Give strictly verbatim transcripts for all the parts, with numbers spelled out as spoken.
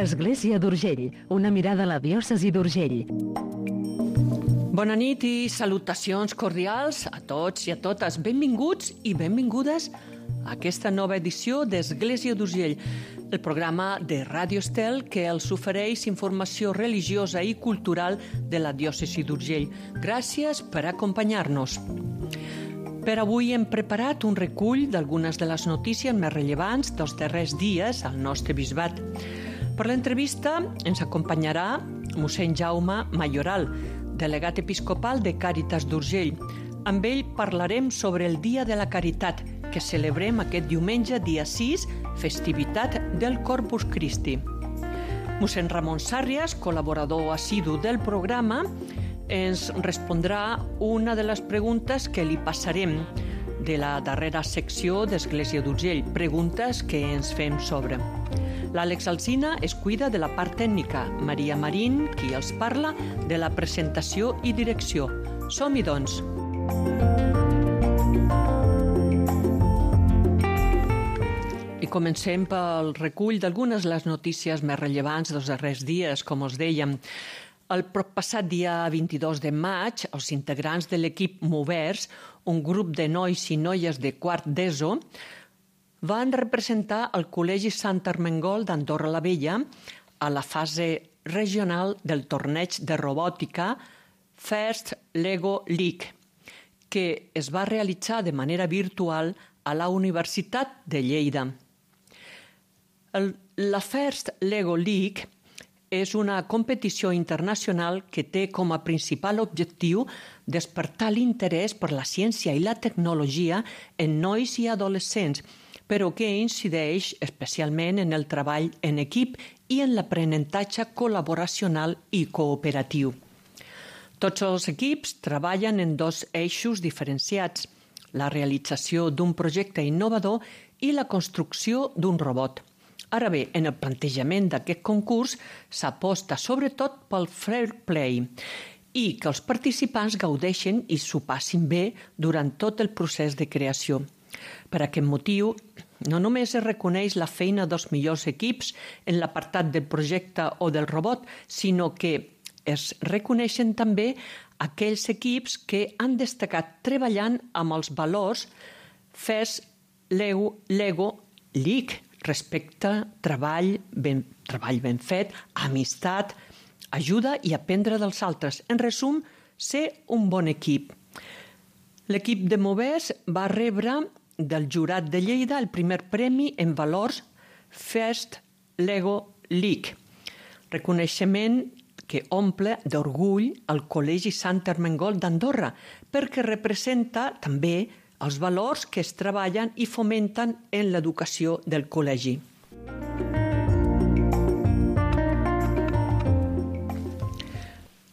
Església d'Urgell, una mirada a la diòcesi d'Urgell. Bona nit i salutacions cordials a tots i a totes. Benvinguts i benvingudes a aquesta nova edició d'Església d'Urgell, el programa de Ràdio Estel que els ofereix informació religiosa i cultural de la diòcesi d'Urgell. Gràcies per acompanyar-nos. Per avui hem preparat un recull d'algunes de les notícies més rellevants dels darrers dies al nostre bisbat. Per l'entrevista ens acompanyarà mossèn Jaume Mayoral, delegat episcopal de Càritas d'Urgell. Amb ell parlarem sobre el Dia de la Caritat, que celebrem aquest diumenge, dia sis, festivitat del Corpus Christi. Mossèn Ramon Sàrrias, col·laborador assidu del programa, ens respondrà una de les preguntes que li passarem de la darrera secció d'Església d'Urgell, preguntes que ens fem sobre. L'Àlex Alsina es cuida de la part tècnica, Maria Marín, qui els parla, de la presentació i direcció. Som-hi, doncs! I comencem pel recull d'algunes de les notícies més rellevants dels darrers dies, com us dèiem. El passat dia vint-i-dos de maig, els integrants de l'equip Movers, un grup de nois i noies de quart d'ESO, van representar el Col·legi Sant Ermengol d'Andorra la Vella a la fase regional del torneig de robòtica First Lego League, que es va realitzar de manera virtual a la Universitat de Lleida. El, la First Lego League és una competició internacional que té com a principal objectiu despertar l'interès per la ciència i la tecnologia en nois i adolescents, però que incideix especialment en el treball en equip i en l'aprenentatge col·laboracional i cooperatiu. Tots els equips treballen en dos eixos diferenciats, la realització d'un projecte innovador i la construcció d'un robot. Ara bé, en el plantejament d'aquest concurs s'aposta sobretot pel fair play i que els participants gaudeixen i s'ho passin bé durant tot el procés de creació. Per aquest motiu, no només es reconeix la feina dels millors equips en l'apartat del projecte o del robot, sinó que es reconeixen també aquells equips que han destacat treballant amb els valors First Lego, Lego League, respecte, treball ben, treball ben fet, amistat, ajuda i aprendre dels altres. En resum, ser un bon equip. L'equip de Movers va rebre del jurat de Lleida el primer premi en valors First Lego League, reconeixement que omple d'orgull el Col·legi Sant Ermengol d'Andorra, perquè representa també els valors que es treballen i fomenten en l'educació del col·legi.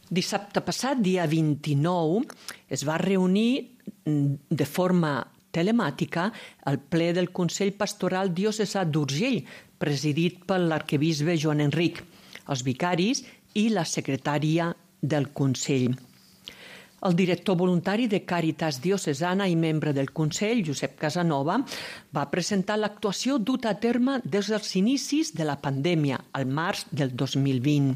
Dissabte passat, dia vint-i-nou, es va reunir de forma telemàtica el ple del Consell Pastoral Diocesà d'Urgell, presidit per l'arquebisbe Joan Enric, els vicaris i la secretària del Consell. El director voluntari de Càritas Diocesana i membre del Consell, Josep Casanova, va presentar l'actuació duta a terme des dels inicis de la pandèmia, al març del dos mil vint.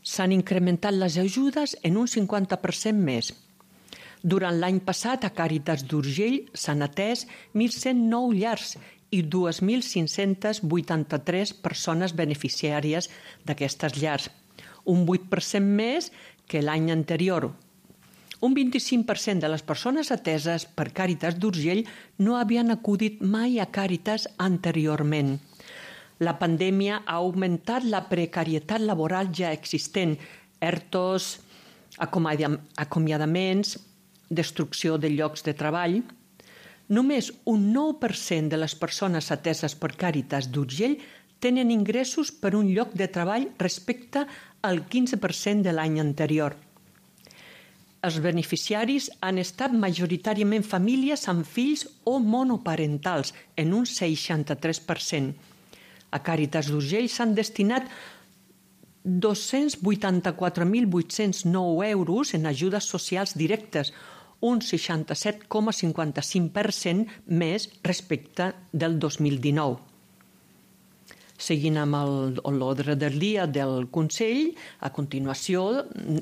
S'han incrementat les ajudes en un cinquanta per cent més. Durant l'any passat, a Càritas d'Urgell s'han atès mil cent nou llars i dos mil cinc-cents vuitanta-tres persones beneficiàries d'aquestes llars, un vuit per cent més que l'any anterior. Un vint-i-cinc per cent de les persones ateses per Càritas d'Urgell no havien acudit mai a Càritas anteriorment. La pandèmia ha augmentat la precarietat laboral ja existent, ertos, acomiadaments, destrucció de llocs de treball. Només un nou per cent de les persones ateses per Càritas d'Urgell tenen ingressos per un lloc de treball respecte al quinze per cent de l'any anterior. Els beneficiaris han estat majoritàriament famílies amb fills o monoparentals, en un seixanta-tres per cent. A Càritas d'Urgell s'han destinat dos-cents vuitanta-quatre mil vuit-cents nou euros en ajudes socials directes, un seixanta-set coma cinquanta-cinc per cent més respecte del dos mil dinou. Seguint amb l'ordre del dia del Consell, a continuació,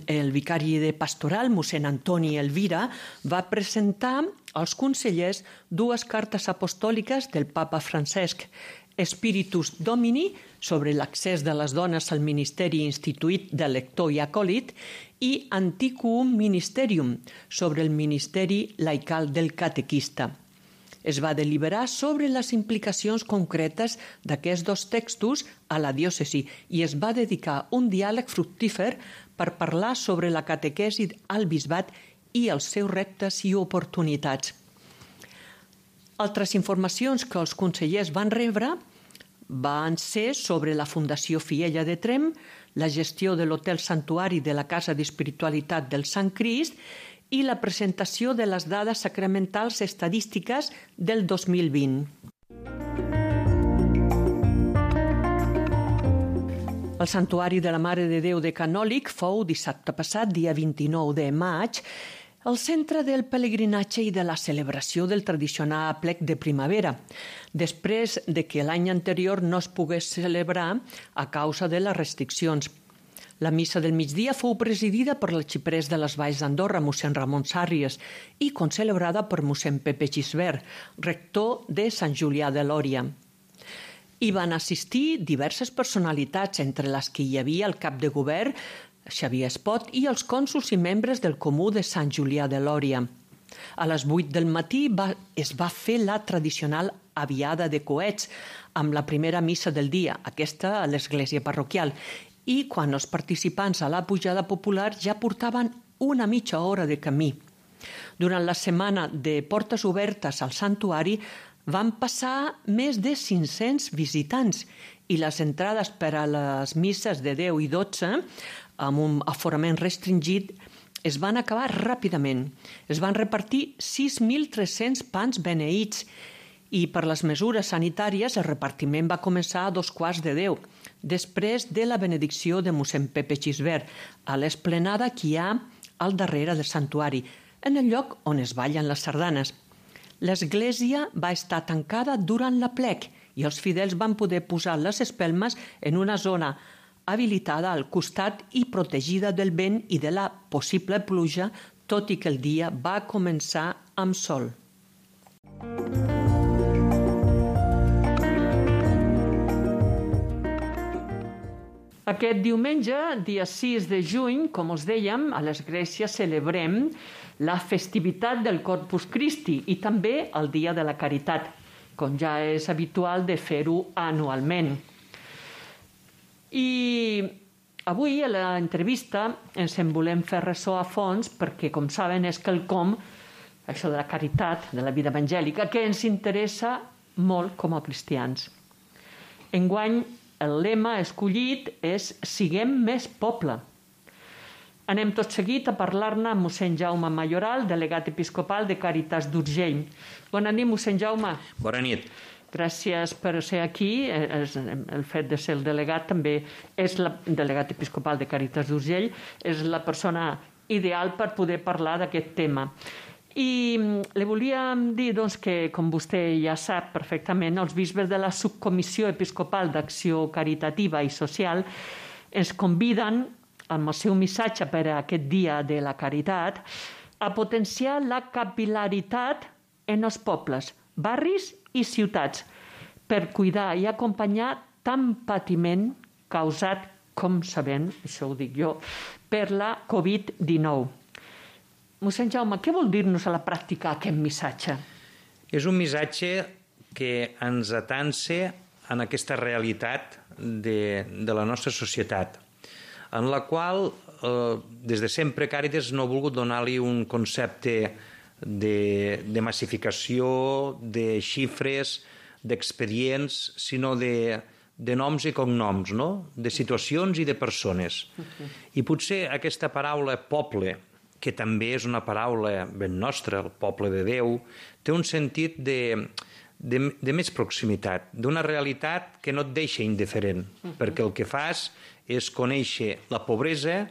el vicari de pastoral, mossèn Antoni Elvira, va presentar als consellers dues cartes apostòliques del papa Francesc, Spiritus Domini, sobre l'accés de les dones al ministeri instituït de lector i acòlit, i Antiquum Ministerium, sobre el ministeri laical del catequista. Es va deliberar sobre les implicacions concretes d'aquests dos textos a la diòcesi i es va dedicar un diàleg fructífer per parlar sobre la catequesi al bisbat i els seus reptes i oportunitats. Altres informacions que els consellers van rebre van ser sobre la Fundació Fiella de Tremp, la gestió de l'Hotel Santuari de la Casa d'Espiritualitat del Sant Crist i la presentació de les dades sacramentals estadístiques del dos mil vint. El Santuari de la Mare de Déu de Canòlic fou dissabte passat, dia vint-i-nou de maig, el centre del pelegrinatge i de la celebració del tradicional aplec de primavera, després de que l'any anterior no es pogués celebrar a causa de les restriccions. La missa del migdia fou presidida per l'arxiprés de les Valls d'Andorra, mossèn Ramon Sàrries, i concelebrada per mossèn Pepe Gisbert, rector de Sant Julià de Lòria. Hi van assistir diverses personalitats, entre les que hi havia el cap de govern, Xavier Espot, i els cònsols i membres del Comú de Sant Julià de Lòria. A les vuit del matí va, es va fer la tradicional aviada de coets, amb la primera missa del dia, aquesta a l'església parroquial, i quan els participants a la pujada popular ja portaven una mitja hora de camí. Durant la setmana de portes obertes al santuari van passar més de cinc-cents visitants i les entrades per a les misses de deu i dotze, amb un aforament restringit, es van acabar ràpidament. Es van repartir sis mil tres-cents pans beneïts i per les mesures sanitàries el repartiment va començar a dos quarts de deu, després de la benedicció de mossèn Pepe Gisbert, a l'esplenada que hi ha al darrere del santuari, en el lloc on es ballen les sardanes. L'església va estar tancada durant l'aplec i els fidels van poder posar les espelmes en una zona habilitada al costat i protegida del vent i de la possible pluja, tot i que el dia va començar amb sol. Aquest diumenge, dia sis de juny, com us dèiem, a l'església celebrem la festivitat del Corpus Christi i també el Dia de la Caritat, com ja és habitual de fer-ho anualment. I avui a l'entrevista ens en volem fer ressò a fons perquè, com saben, és quelcom, això de la caritat, de la vida evangèlica, que ens interessa molt com a cristians. Enguany, el lema escollit és «Siguem més poble». Anem tot seguit a parlar-ne amb mossèn Jaume Mayoral, delegat episcopal de Càritas d'Urgell. Bona nit, mossèn Jaume. Bona nit. Gràcies per ser aquí. El fet de ser el delegat també és el delegat episcopal de Càritas d'Urgell, és la persona ideal per poder parlar d'aquest tema. I li volíem dir doncs, que, com vostè ja sap perfectament, els bisbes de la Subcomissió Episcopal d'Acció Caritativa i Social ens conviden, amb el seu missatge per a aquest dia de la caritat, a potenciar la capil·laritat en els pobles, barris i ciutats, per cuidar i acompanyar tant patiment causat, com sabem, això ho dic jo, per la covid dinou. Mossèn Jaume, què vol dir-nos a la pràctica aquest missatge? És un missatge que ens atansa en aquesta realitat de, de la nostra societat, en la qual, eh, des de sempre, Càritas no ha volgut donar-li un concepte de, de massificació, de xifres, d'expedients, sinó de, de noms i cognoms, no? De situacions i de persones. Okay. I potser aquesta paraula poble, que també és una paraula ben nostra, el poble de Déu, té un sentit de, de, de més proximitat, d'una realitat que no et deixa indiferent, uh-huh. perquè el que fas és conèixer la pobresa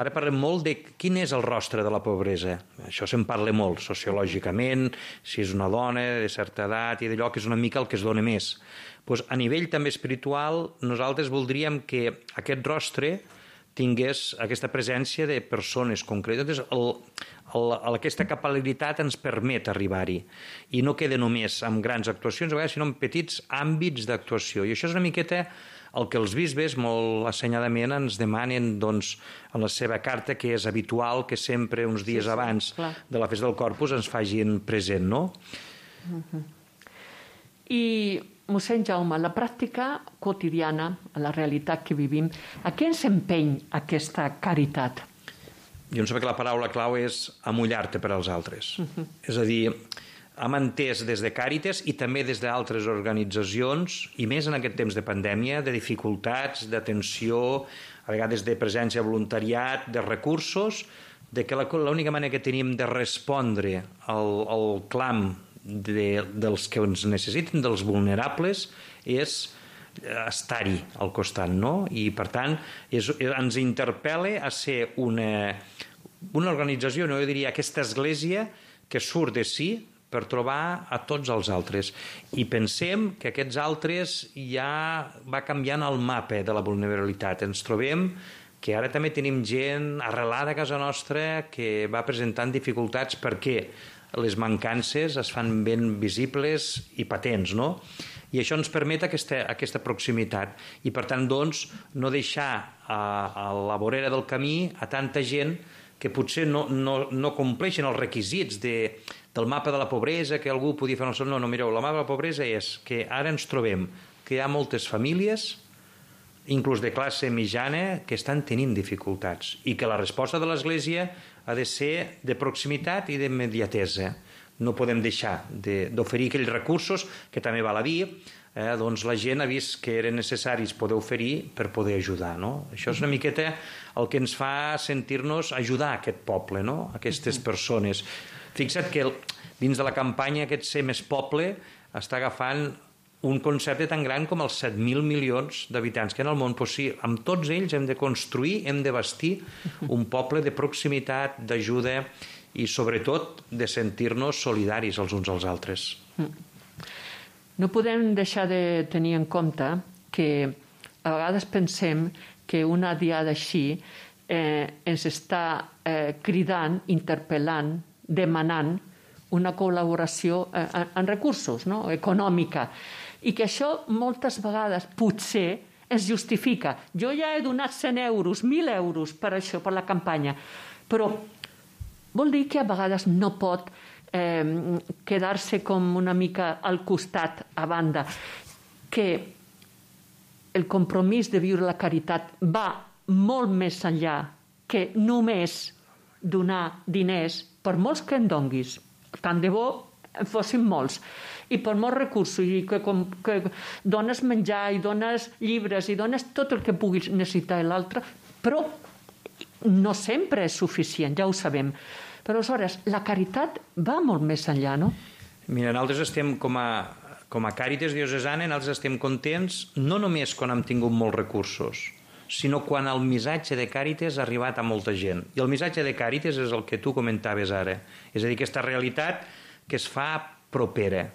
Ara parlem molt de quin és el rostre de la pobresa. Això se'n parla molt, sociològicament, si és una dona de certa edat i d'allò que és una mica el que es dona més. Pues a nivell també espiritual, nosaltres voldríem que aquest rostre tingués aquesta presència de persones concretes. El, el, aquesta capil·laritat ens permet arribar-hi i no queda només amb grans actuacions, a vegades, sinó en petits àmbits d'actuació. I això és una miqueta el que els bisbes molt assenyadament ens demanen doncs, en la seva carta, que és habitual que sempre uns dies sí, sí, abans clar. de la festa del Corpus ens facin present, no? Uh-huh. I mossèn Jaume, la pràctica quotidiana, la realitat que vivim, a què ens empeny aquesta caritat? Jo em sembla que la paraula clau és amullar-te per als altres. Uh-huh. És a dir, hem entès des de Càritas i també des d'altres organitzacions, i més en aquest temps de pandèmia, de dificultats, d'atenció, a vegades de presència de voluntariat, de recursos, de que l'única manera que tenim de respondre al, al clam De, dels que ens necessiten, dels vulnerables, és estar-hi al costat, no? I, per tant, és, ens interpel·la a ser una, una organització, no, jo diria, aquesta església que surt de si per trobar a tots els altres. I pensem que aquests altres ja va canviant el mapa de la vulnerabilitat. Ens trobem que ara també tenim gent arrelada a casa nostra que va presentant dificultats perquè les mancances es fan ben visibles i patents, no? I això ens permet aquesta, aquesta proximitat. I, per tant, doncs, no deixar a, a la vorera del camí a tanta gent que potser no, no, no compleixen els requisits de, del mapa de la pobresa, que algú podia fer... No, no, mireu, el mapa de la pobresa és que ara ens trobem que hi ha moltes famílies, inclús de classe mitjana, que estan tenint dificultats i que la resposta de l'Església ha de ser de proximitat i d'immediatesa. No podem deixar d'oferir aquells recursos que també val a dir, eh, doncs la gent ha vist que eren necessaris poder oferir per poder ajudar, no? Això és una miqueta el que ens fa sentir-nos ajudar aquest poble, no? Aquestes persones. Fixa't que dins de la campanya aquest Ser Més Poble està agafant un concepte tan gran com els set mil milions d'habitants que en el món, doncs sí, amb tots ells hem de construir, hem de bastir un poble de proximitat, d'ajuda i sobretot de sentir-nos solidaris els uns als altres. No podem deixar de tenir en compte que a vegades pensem que una diada així eh, ens està eh, cridant, interpel·lant, demanant una col·laboració eh, en recursos, no? Econòmica. I que això moltes vegades potser es justifica. Jo ja he donat cent euros, mil euros per això, per la campanya, però vol dir que a vegades no pot eh, quedar-se com una mica al costat, a banda, que el compromís de viure la caritat va molt més enllà que només donar diners, per molts que en donguis, tant de bo en fossin molts, i per molts recursos, i que, com, que dones menjar, i dones llibres, i dones tot el que puguis necessitar l'altre, però no sempre és suficient, ja ho sabem. Però aleshores, la caritat va molt més enllà, no? Mira, nosaltres estem com a, com a Càritas Diocesana, nosaltres estem contents no només quan hem tingut molts recursos, sinó quan el missatge de Càritas ha arribat a molta gent. I el missatge de Càritas és el que tu comentaves ara. És a dir, aquesta realitat que es fa propera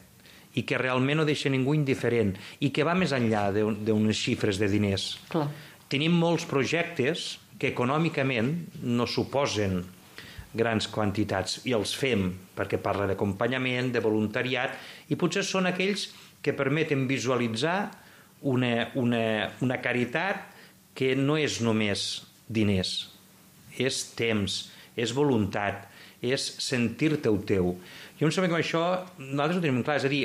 i que realment no deixa ningú indiferent i que va més enllà d'unes xifres de diners. Clar. Tenim molts projectes que econòmicament no suposen grans quantitats i els fem perquè parla d'acompanyament, de voluntariat, i potser són aquells que permeten visualitzar una, una, una caritat que no és només diners, és temps, és voluntat, és sentir-te el teu. Jo em sembla que això nosaltres ho tenim clar, és a dir,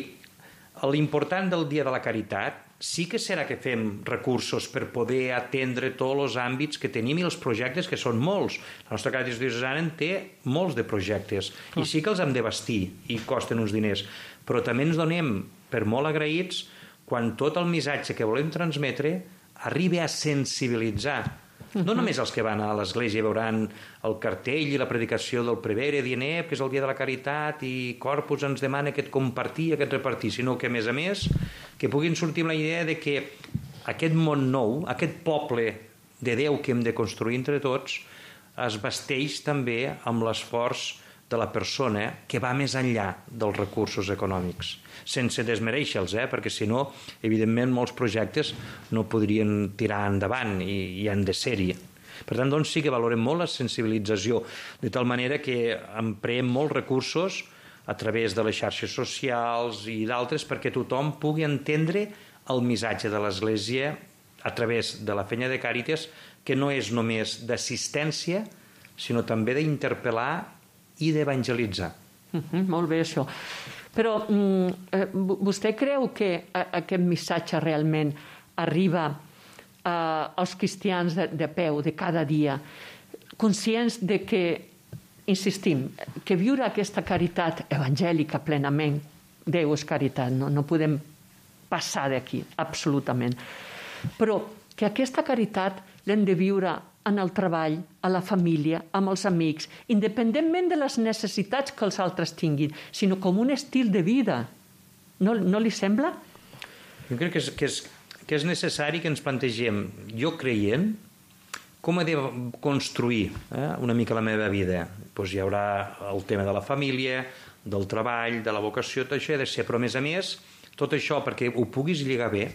l'important del Dia de la Caritat sí que serà que fem recursos per poder atendre tots els àmbits que tenim i els projectes, que són molts. La nostra Càritas Diocesana en té molts de projectes i sí que els hem de bastir i costen uns diners, però també ens donem per molt agraïts quan tot el missatge que volem transmetre arriba a sensibilitzar no només els que van a l'església veuran el cartell i la predicació del prevere dient eh, que és el dia de la caritat i Corpus ens demana aquest compartir i aquest repartir, sinó que a més a més que puguin sortir amb la idea de que aquest món nou, aquest poble de Déu que hem de construir entre tots es vesteix també amb l'esforç de la persona que va més enllà dels recursos econòmics, sense desmereixer-los, eh? Perquè si no, evidentment, molts projectes no podrien tirar endavant i, i han de ser-hi. Per tant, doncs, sí que valorem molt la sensibilització, de tal manera que empreem molts recursos a través de les xarxes socials i d'altres perquè tothom pugui entendre el missatge de l'Església a través de la feina de Càritas, que no és només d'assistència, sinó també d'interpel·lar i d'evangelitzar. Uh-huh, molt bé, això. Però mm, eh, vostè creu que a, aquest missatge realment arriba eh, als cristians de, de peu, de cada dia, conscients de que, insistim, que viure aquesta caritat evangèlica plenament, Déu és caritat, no, no podem passar d'aquí, absolutament. Però que aquesta caritat l'hem de viure en el treball, a la família, amb els amics, independentment de les necessitats que els altres tinguin, sinó com un estil de vida. No, no li sembla? Jo crec que és, que, és, que és necessari que ens plantegem, jo creient, com he de construir eh, una mica la meva vida. Pues hi haurà el tema de la família, del treball, de la vocació, tot això ha de ser, però a més a més, tot això, perquè ho puguis lligar bé,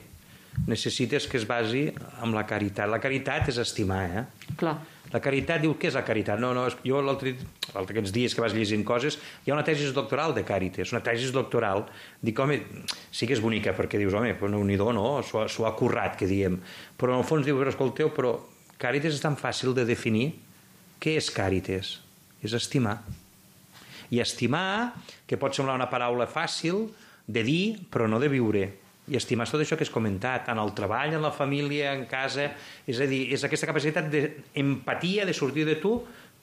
necessites que es basi en la caritat. La caritat és estimar, eh? Clar. La caritat, diu, què és la caritat? No, no, jo l'altre aquests dies que vas llegint coses, hi ha una tesi doctoral de Càritas, una tesi doctoral. Dic, home, sí que és bonica, perquè dius, home, no, n'hi do, no? S'ho ha currat, que diem. Però en el fons diu, però escolteu, però Càritas és tan fàcil de definir. Què és Càritas? És estimar. I estimar, que pot semblar una paraula fàcil de dir, però no de viure. I estimar tot això que has comentat, en el treball, en la família, en casa, és a dir, és aquesta capacitat d'empatia, de sortir de tu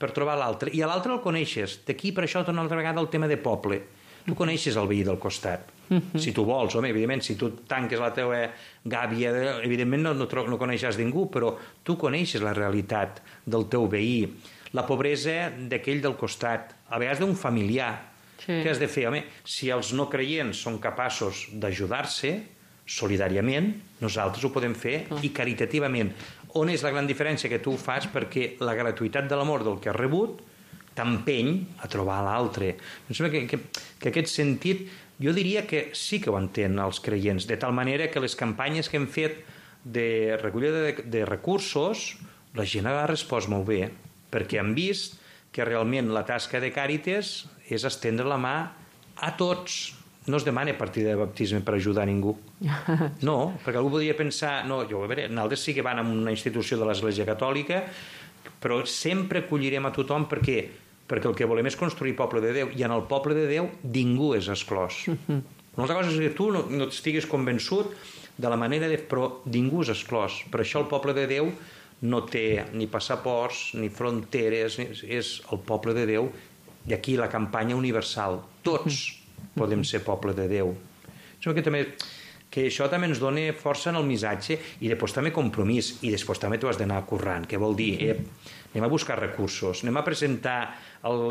per trobar l'altre. I a l'altre el coneixes. D'aquí, per això, una altra vegada el tema de poble. Tu coneixes el veí del costat. Uh-huh. Si tu vols, home, evidentment, si tu tanques la teva gàbia, evidentment no, no, no coneixes ningú, però tu coneixes la realitat del teu veí, la pobresa d'aquell del costat, a vegades d'un familiar. Sí. Què has de fer? Home, si els no creients són capaços d'ajudar-se, solidàriament, nosaltres ho podem fer i caritativament. On és la gran diferència? Que tu ho fas perquè la gratuïtat de l'amor del que has rebut t'empeny a trobar l'altre. Em sembla que, que, que aquest sentit, jo diria que sí que ho entenen els creients, de tal manera que les campanyes que hem fet de recollida de, de recursos, la gent ha respost molt bé, perquè han vist que realment la tasca de Càritas és estendre la mà a tots. No es demana partida de baptisme per ajudar a ningú. No, perquè algú podria pensar, no, jo, a veure, nosaltres sí que van a una institució de l'Església Catòlica, però sempre acollirem a tothom perquè, perquè el que volem és construir poble de Déu, i en el poble de Déu ningú és exclòs. Una altra cosa és que tu no, no estiguis convençut de la manera de... però ningú és exclòs. Per això el poble de Déu no té ni passaports, ni fronteres, ni... és el poble de Déu, i aquí la campanya universal. Tots podem ser poble de Déu. Que, també, que això també ens dona força en el missatge, i després també compromís, i després també tu has d'anar currant, que vol dir, eh, anem a buscar recursos, anem a presentar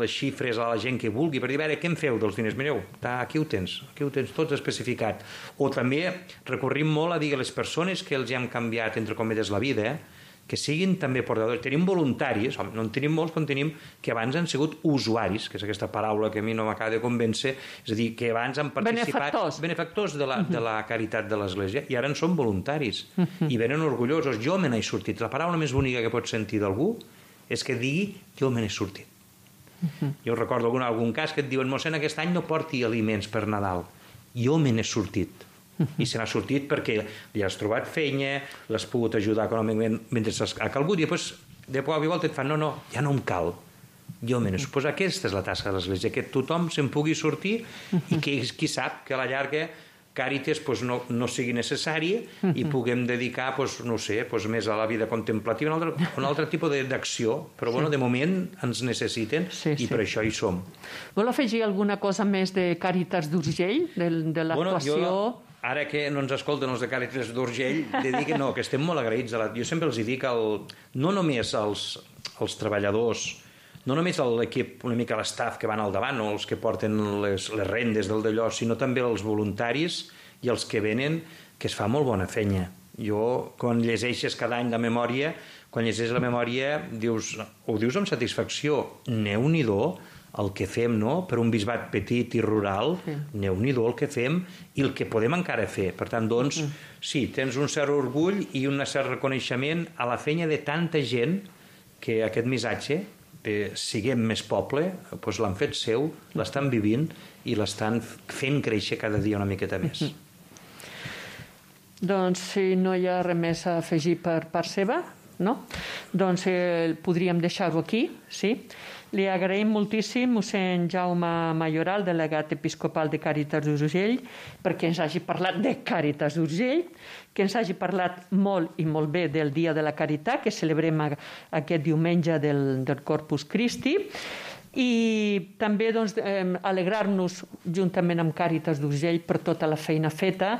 les xifres a la gent que vulgui, per dir, a veure, què en feu dels diners? Mireu, aquí ho tens, aquí ho tens tots especificat. O també recorrim molt a dir a les persones que els hem canviat, entre cometes, la vida, eh, que siguin també portadors. Tenim voluntaris, no en tenim molts, però en tenim que abans han sigut usuaris, que és aquesta paraula que a mi no m'acaba de convèncer, és a dir, que abans han participat... Benefactors. Benefactors de la, de la caritat de l'Església, i ara en són voluntaris, i venen orgullosos. Jo me n'he sortit. La paraula més bonica que pots sentir d'algú és que digui, jo me n'he sortit. Jo recordo algun, algun cas que et diuen, mossèn, aquest any no porti aliments per Nadal. Jo me n'he sortit. I se n'ha sortit perquè li has trobat feina, l'has pogut ajudar econòmicament mentre ha calgut, i després de poc a volta et fan, no, no, ja no em cal, jo me n'he sortit. Aquesta és la tasca de l'Església, que tothom se'n pugui sortir, i que qui sap que a la llarga Càritas pues, no, no sigui necessari i puguem dedicar, pues, no sé, pues, més a la vida contemplativa, un altre, un altre tipus d'acció, però bueno, de moment ens necessiten, sí, i sí, per això hi som. Vol afegir alguna cosa més de Càritas d'Urgell, de, de l'actuació? Bueno, jo... Ara que no ens escolten els de Càritas d'Urgell, de dir que no, que estem molt agraïts. A la... Jo sempre els dic, el... no només els, els treballadors, no només l'equip, una mica l'estaf que van al davant, o els que porten les, les rendes del d'allò, sinó també els voluntaris i els que venen, que es fa molt bona feina. Jo, quan llegeixes cada any la memòria, quan llegeixes la memòria, dius, ho dius amb satisfacció, Déu-n'hi-do el que fem, no?, per un bisbat petit i rural, sí. Déu-n'hi-do el que fem i el que podem encara fer. Per tant, doncs, mm. sí, tens un cert orgull i un cert reconeixement a la feina de tanta gent que aquest missatge, eh, siguem més poble, doncs l'han fet seu, l'estan vivint i l'estan fent créixer cada dia una miqueta més. Mm-hmm. Doncs si no hi ha res més a afegir per part seva, no? Doncs eh, podríem deixar-ho aquí, sí? Li agraïm moltíssim mossèn Jaume Mayoral, delegat episcopal de Càritas d'Urgell, perquè ens hagi parlat de Càritas d'Urgell, que ens hagi parlat molt i molt bé del Dia de la Caritat, que celebrem aquest diumenge del, del Corpus Christi, i també doncs, eh, alegrar-nos juntament amb Càritas d'Urgell per tota la feina feta,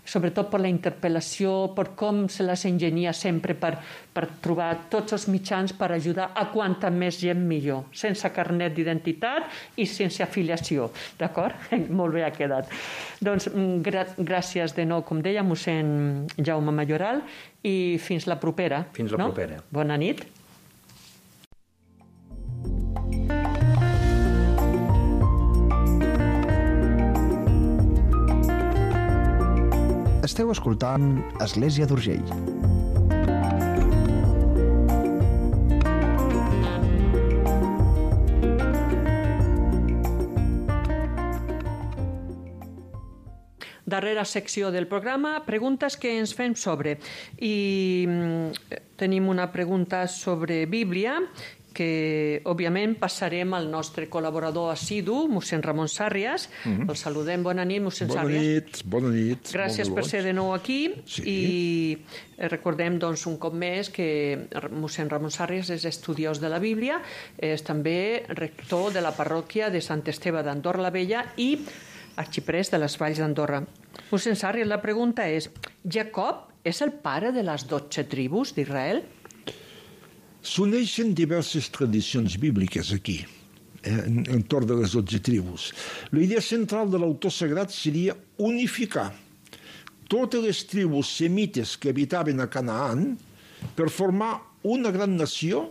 sobretot per la interpel·lació, per com se les ingenia sempre per, per trobar tots els mitjans per ajudar a quanta més gent millor, sense carnet d'identitat i sense afiliació, d'acord? Molt bé ha quedat. Doncs gra gràcies de nou, com deia, mossèn Jaume Mayoral, i fins la propera. Fins la no? propera. Bona nit. Esteu escoltant Església d'Urgell. Darrera secció del programa, preguntes que ens fem sobre. I tenim una pregunta sobre Bíblia, que, òbviament, passarem al nostre col·laborador assidu, mossèn Ramon Sàrrias. Mm-hmm. El saludem. Bona nit, mossèn bona Sàrrias. Nit, bona nit. Gràcies per ser de nou aquí. Sí. I recordem, doncs, un cop més que mossèn Ramon Sàrrias és estudiós de la Bíblia, és també rector de la parròquia de Sant Esteve d'Andorra la Vella i arxiprest de les Valls d'Andorra. Mossèn Sàrrias, la pregunta és: Jacob és el pare de les dotze tribus d'Israel? S'uneixen diverses tradicions bíbliques aquí, eh, entorn de les dotze tribus. La idea central de l'autor sagrat seria unificar totes les tribus semites que habitaven a Canaan per formar una gran nació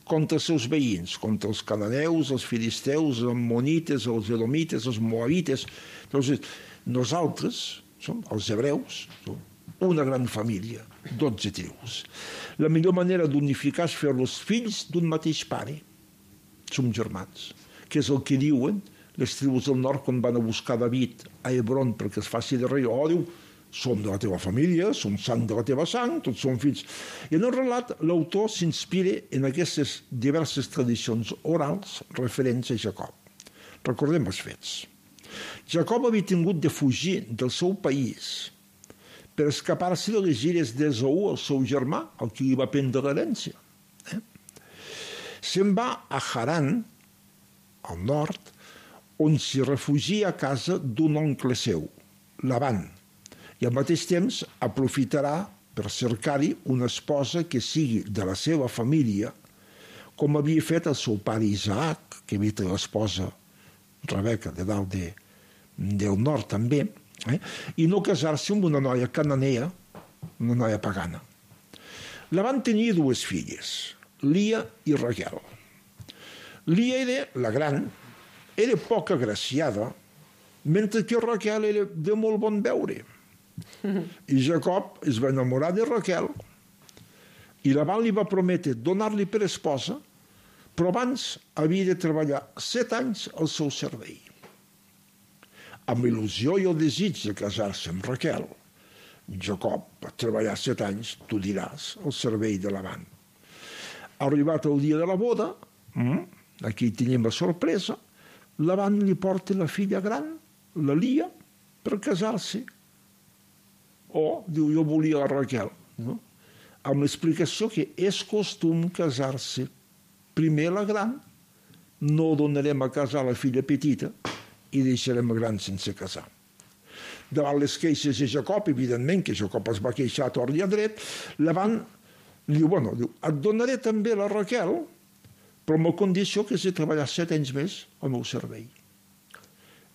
contra els seus veïns, contra els cananeus, els filisteus, els ammonites, els edomites, els moabites. Llavors, nosaltres, som els hebreus, som una gran família, dotze tribus. La millor manera d'unificar és fer-los fills d'un mateix pare. Som germans, que és el que diuen les tribus del nord quan van a buscar David a Hebron perquè es faci de rei. Oh, diu, som de la teva família, som sang de la teva sang, tots som fills. I en el relat, l'autor s'inspira en aquestes diverses tradicions orals referents a Jacob. Recordem els fets. Jacob havia tingut de fugir del seu país per escapar-se de les gires d'Esaú, el seu germà, el que li va prendre l'herència. Eh? Se'n va a Haran, al nord, on s'hi refugia a casa d'un oncle seu, Laban, i al mateix temps aprofitarà per cercar-hi una esposa que sigui de la seva família, com havia fet el seu pare Isaac, que havia fet l'esposa Rebeca de dalt de, del nord també, eh? I no casar-se amb una noia cananea, una noia pagana. Laban tenia dues filles, Lia i Raquel. Lia era la gran, era poc agraciada, mentre que Raquel era de molt bon veure. I Jacob es va enamorar de Raquel i Laban li va prometre donar-li per esposa, però abans havia de treballar set anys al seu servei. Amb il·lusió i el desig de casar-se amb Raquel, Jacob va treballar set anys, tu diràs, al servei de Laban. Arribat el dia de la boda, aquí tenim la sorpresa, Laban li porta la filla gran, la Lia, per casar-se. O, diu, jo volia la Raquel, no? Amb l'explicació que és costum casar-se primer la gran, no donarem a casar la filla petita, i deixarem el gran sense casar. Davant les queixes de Jacob, evidentment, que Jacob es va queixar a tort i a dret, Laban li diu, bueno, diu, et donaré també la Raquel, però amb la condició que has de treballar set anys més al meu servei.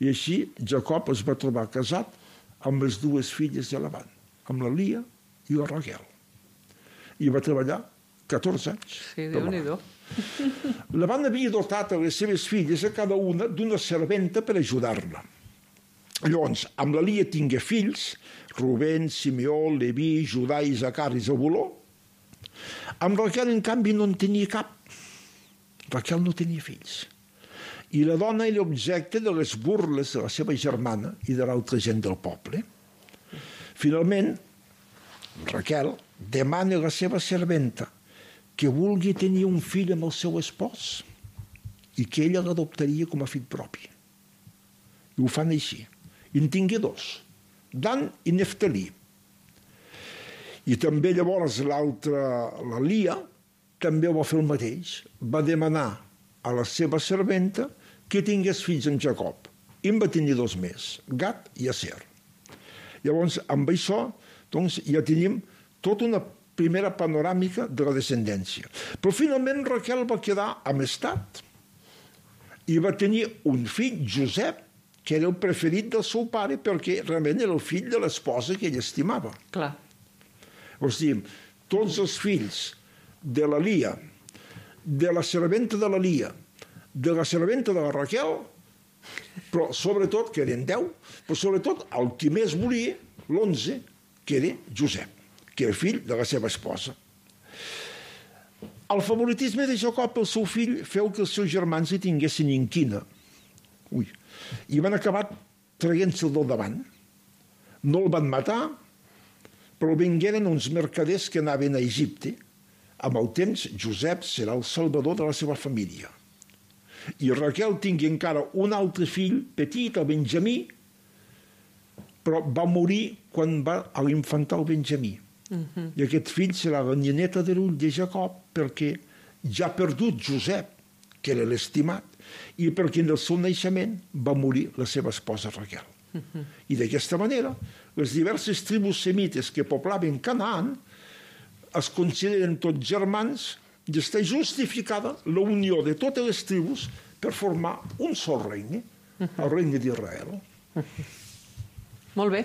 I així Jacob es va trobar casat amb les dues filles de Laban, amb la Lia i la Raquel. I va treballar catorze anys. Sí, Déu-n'hi-do. La van haver dotat a les seves filles, a cada una, d'una serventa per ajudar-la. Llavors, amb la Lia tingué fills, Rubén, Simeó, Leví, Judà, Isaacar i Zabuló. Amb Raquel, en canvi, no en tenia cap. Raquel no tenia fills. I la dona era objecte de les burles de la seva germana i de l'altra gent del poble. Finalment, Raquel demana a la seva serventa que vulgui tenir un fill amb el seu espòs i que ella l'adoptaria com a fill propi. I ho fan així. I en tingué dos, Dan i Neftalí. I també llavors l'altra, la Lia, també va fer el mateix. Va demanar a la seva serventa que tingués fills amb Jacob. I en va tenir dos més, Gad i Aser. Llavors, amb això, doncs, ja tenim tota una primera panoràmica de la descendència. Però finalment Raquel va quedar amistat i va tenir un fill, Josep, que era el preferit del seu pare perquè realment era el fill de l'esposa que ell estimava. Clar. O sigui, tots els fills de la Lia, de la serventa de la Lia, de la serventa de la Raquel, però sobretot, que eren deu, però sobretot el que més volia, l'onze, que era Josep, que era fill de la seva esposa. El favoritisme de Jacob, el seu fill, feu que els seus germans hi tinguessin inquina. Ui. I van acabar traient-se'l del davant. No el van matar, però vingueren uns mercaders que anaven a Egipte. Amb el temps, Josep serà el salvador de la seva família. I Raquel tingui encara un altre fill petit, el Benjamí, però va morir quan va a l'infantar el Benjamí. Uh-huh. I aquest fill serà la nieta de l'ull de Jacob, perquè ja ha perdut Josep, que era l'estimat, i perquè en el seu naixement va morir la seva esposa Raquel. Uh-huh. I d'aquesta manera, les diverses tribus semites que poblaven Canaan es consideren tots germans i està justificada la unió de totes les tribus per formar un sol regne, el regne d'Israel. Uh-huh. Molt bé.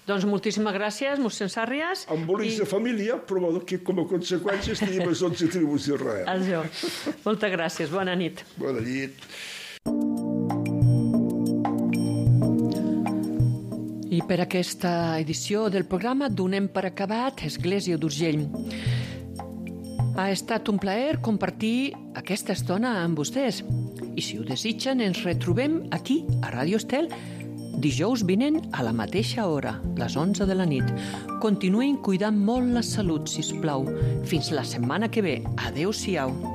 Doncs moltíssimes gràcies, mossèn Sàrries. Embolics I... de família, però que com a conseqüència tenim les onze tribus d'Israel. Això. Moltes gràcies. Bona nit. Bona nit. I per aquesta edició del programa donem per acabat Església d'Urgell. Ha estat un plaer compartir aquesta estona amb vostès. I si ho desitgen, ens retrobem aquí, a Ràdio Estel, dijous vinent a la mateixa hora, les onze de la nit. Continuïn cuidant molt la salut, sisplau. Fins la setmana que ve. Adéu-siau.